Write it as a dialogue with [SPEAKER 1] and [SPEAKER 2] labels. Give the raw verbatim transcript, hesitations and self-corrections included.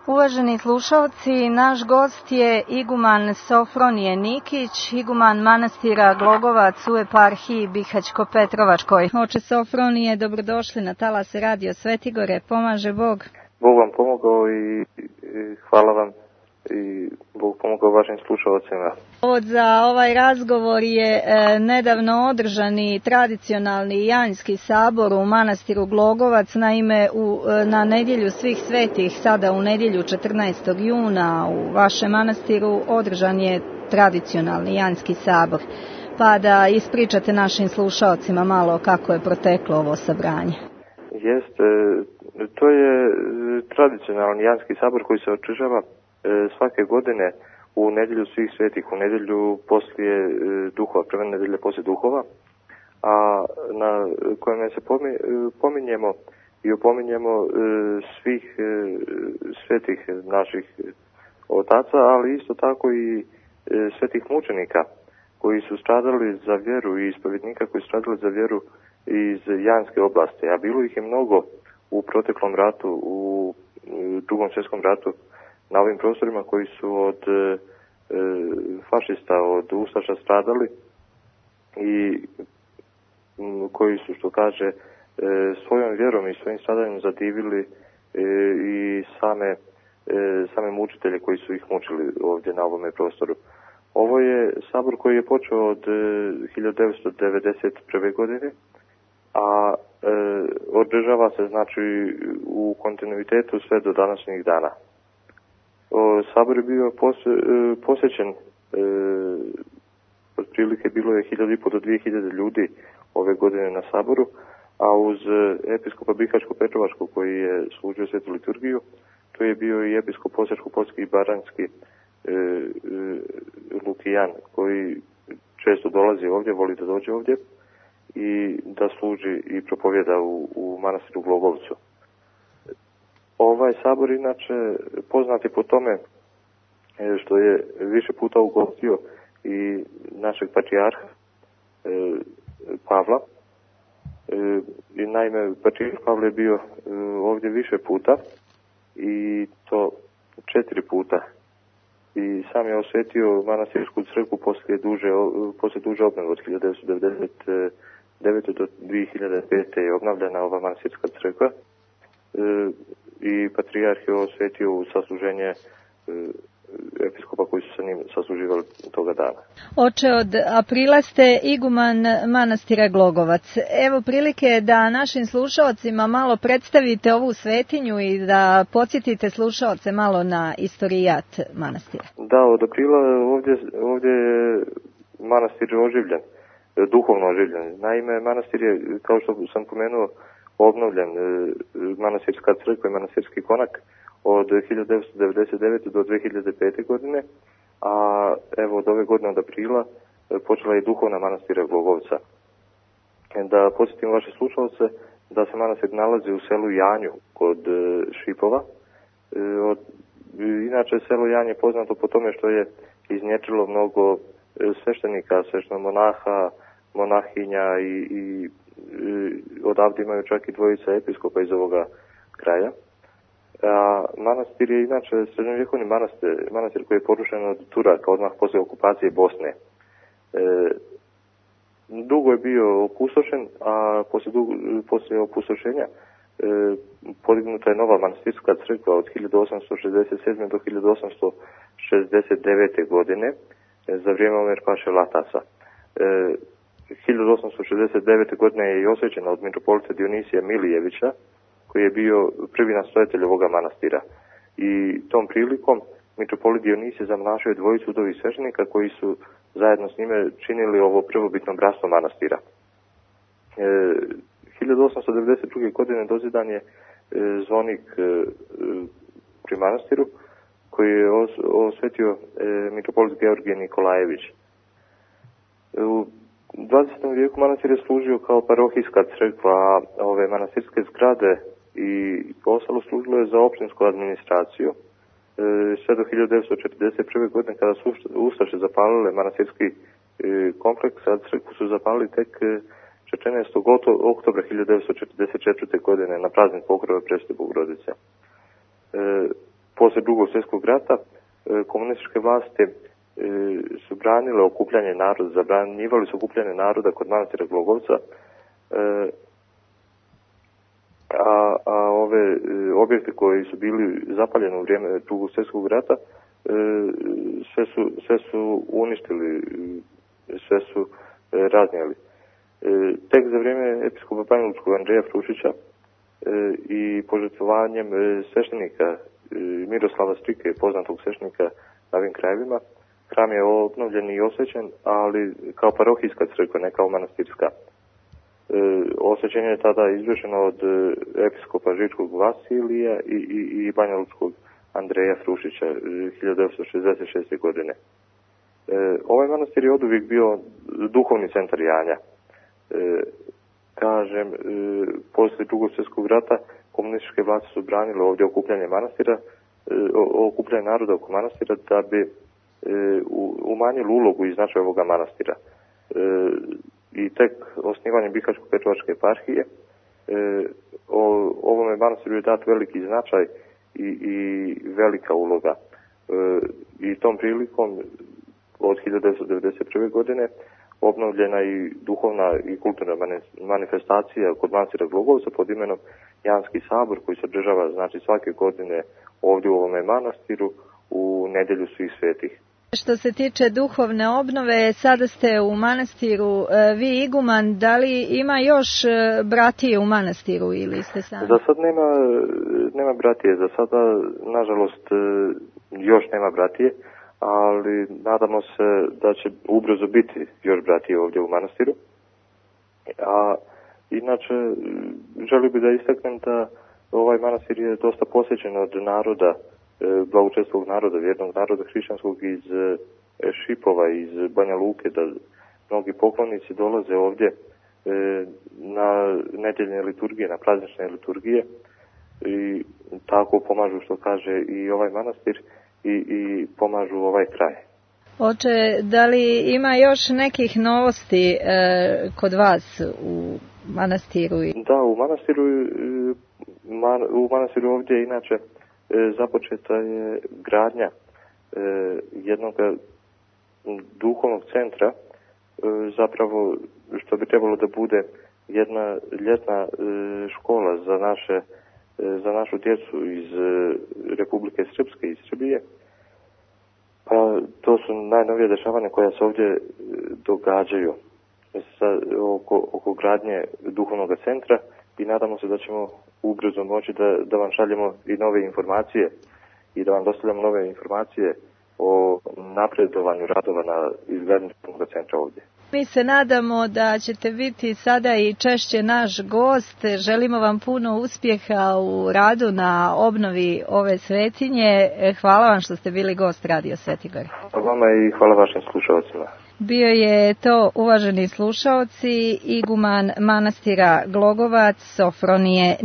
[SPEAKER 1] Uvaženi slušalci, naš gost je iguman Sofronije Nikić, iguman manastira Glogovac u eparhiji Bihaćko-Petrovačkoj. Oče Sofronije, dobrodošli na talas Radio Svetigore, pomaže Bog.
[SPEAKER 2] Bog vam pomogao i, i hvala vam i Bog pomogao vašim slušalcima.
[SPEAKER 1] Povod za ovaj razgovor je e, nedavno održani tradicionalni Janjski sabor u manastiru Glogovac. Naime, u, na nedjelju svih svetih, sada u nedjelju četrnaestog juna u vašem manastiru održan je tradicionalni Janjski sabor. Pa da ispričate našim slušalcima malo kako je proteklo ovo sabranje.
[SPEAKER 2] Jeste, to je tradicionalni Janjski sabor koji se održava svake godine u nedjelju svih svetih, u nedjelju poslije duhova, prve nedjelje poslije duhova, a na kojem se pominjemo i opominjemo svih svetih naših otaca, ali isto tako i svetih mučenika koji su stradali za vjeru i ispovjednika koji su stradali za vjeru iz Janske oblasti, a bilo ih je mnogo u proteklom ratu, u drugom svjetskom ratu, na ovim prostorima koji su od e, fašista, od ustaša stradali i m, koji su, što kaže, e, svojom vjerom i svojim stradanjem zadivili e, i same, e, same mučitelje koji su ih mučili ovdje na ovome prostoru. Ovo je sabor koji je počeo od e, hiljadu devetsto devedeset prve. godine, a e, održava se znači u kontinuitetu sve do današnjih dana. O, sabor je bio pos, e, posjećen, e, otprilike bilo je hiljadu i po do dvije hiljade ljudi ove godine na saboru, a uz episkopa Bihaćko-Petrovačkog koji je služio svetu liturgiju, to je bio i episkop Osječko-Poljski i Baranjski e, e, Lukijan, koji često dolazi ovdje, voli da dođe ovdje i da služi i propovjeda u, u manastiru Glogovcu. Ovaj sabor inače poznat je po tome što je više puta ugostio i našeg patrijarha e, Pavla. E, i naime, patrijarh Pavle je bio e, ovdje više puta i to četiri puta. I sam je osvetio manastirsku crkvu poslije duže, poslije duže obnove od hiljadu devetsto devedeset devete. do dvije hiljade pete. je obnavljena ova manastirska crkva. E, i patrijarh je osvetio u sasluženje e, episkopa koji su sa njim sasluživali toga dana.
[SPEAKER 1] Oče, od aprila ste iguman manastira Glogovac. Evo prilike da našim slušalcima malo predstavite ovu svetinju i da podsjetite slušalce malo na istorijat manastira.
[SPEAKER 2] Da, od aprila ovdje, ovdje je manastir oživljen, duhovno oživljen. Naime, manastir je, kao što sam pomenuo, obnovljen, manastirska crkva i manastirski konak od hiljadu devetsto devedeset devete. do dvije hiljade pete. godine, a evo od ove godine od aprila počela je duhovna manastira Glogovca. Da podsjetim vaše slušalce da se manastir nalazi u selu Janju kod Šipova. Od, inače selo Janje je poznato po tome što je iznječilo mnogo sveštenika, sveštenomonaha, monahinja i, i odavde imaju čak i dvojica episkopa iz ovoga kraja. A manastir je inače srednjovjekovni manastir, manastir koji je porušen od Turaka odmah poslije okupacije Bosne. E, dugo je bio opustošen, a poslije, dugo, poslije opustošenja e, podignuta je nova manastirska crkva od hiljadu osamsto šezdeset sedme. do hiljadu osamsto šezdeset devete. godine e, za vrijeme Omer Paše Latasa. E, hiljadu osamsto šezdeset devete. godine je i osvećena od mitropolita Dionisija Milijevića, koji je bio prvi nastojatelj ovoga manastira. I tom prilikom mitropolit Dionisije zamnašao je dvojicu udovih sveštenika koji su zajedno s njime činili ovo prvobitno bratstvo manastira. E, hiljadu osamsto devedeset druge. godine dozidan je e, zvonik e, pri manastiru koji je os, osvetio e, mitropolit Georgije Nikolajević. E, u dvadesetom vijeku manastir je služio kao parohijska crkva, a ove manastirske zgrade i ostalo služilo je za općinsku administraciju. E, sve do hiljadu devetsto četrdeset prve. godine kada su ustaše zapalile manastirski e, kompleks, a crkvu su zapalili tek četrnaestog oktobra hiljadu devetsto četrdeset četvrte. godine na praznik Pokrova Presvete Bogorodice. E, Posle Drugog svjetskog rata komunističke vlasti su branile okupljanje naroda, zabranjivali su okupljanje naroda kod manastira Glogovca, a, a ove objekte koji su bili zapaljeni u vrijeme Drugog svjetskog rata sve su, sve su uništili, sve su raznijeli. Tek za vrijeme episkopa banjalučkog Andreja Frušića i požrtvovanjem sveštenika Miroslava Strike, poznatog sveštenika na ovim krajevima, hram je obnovljen i osvećen, ali kao parohijska crkva, ne kao manastirska. Osvećenje je tada izvršeno od episkopa Žičkog Vasilija i, i, i banjalučkog Andreja Frušića hiljadu devetsto šezdeset šeste. godine. Ovaj manastir je oduvijek bio duhovni centar Janja. Kažem, posle Drugog svjetskog rata komunističke vlasti su branile ovdje okupljanje manastira, okupljanje naroda oko manastira da bi umanjili ulogu i značaj ovoga manastira. I tek osnivanjem Bihaćko-Petrovačke eparhije ovome manastiru je dat veliki značaj i, i velika uloga. I tom prilikom od hiljadu devetsto devedeset prve. godine obnovljena i duhovna i kulturna manifestacija kod manastira Glogovca pod imenom Janski sabor, koji se održava znači svake godine ovdje u ovome manastiru u nedjelju svih svetih.
[SPEAKER 1] Što se tiče duhovne obnove, sada ste u manastiru vi iguman, da li ima još bratije u manastiru ili ste sami?
[SPEAKER 2] Za sad nema, nema bratije, za sada nažalost još nema bratije, ali nadamo se da će ubrzo biti još bratije ovdje u manastiru. A inače, želio bih da istaknem da ovaj manastir je dosta posjećen od naroda, blagočestvog naroda, vjernog naroda hrišćanskog iz Šipova, iz Banja Luke, da mnogi poklonici dolaze ovdje na nedjeljne liturgije, na praznične liturgije i tako pomažu, što kaže, i ovaj manastir i, i pomažu ovaj kraj.
[SPEAKER 1] Oče, da li ima još nekih novosti e, kod vas u manastiru?
[SPEAKER 2] Da, u manastiru, man, u manastiru ovdje inače započeta je gradnja jednog duhovnog centra, zapravo što bi trebalo da bude jedna ljetna škola za naše za našu djecu iz Republike Srpske, iz Srbije. Pa to su najnovije dešavanja koja se ovdje događaju sa, oko, oko gradnje duhovnog centra i nadamo se da ćemo ubrzo moći da, da vam šaljemo i nove informacije i da vam dostavljamo nove informacije o napredovanju radova na izgradnju duhovnog centra ovdje.
[SPEAKER 1] Mi se nadamo da ćete biti sada i češće naš gost. Želimo vam puno uspjeha u radu na obnovi ove svetinje. Hvala vam što ste bili gost Radio Sveti Gor.
[SPEAKER 2] Hvala vama i hvala vašim slušalcima.
[SPEAKER 1] Bio je to, uvaženi slušaoci, iguman manastira Glogovac Sofronije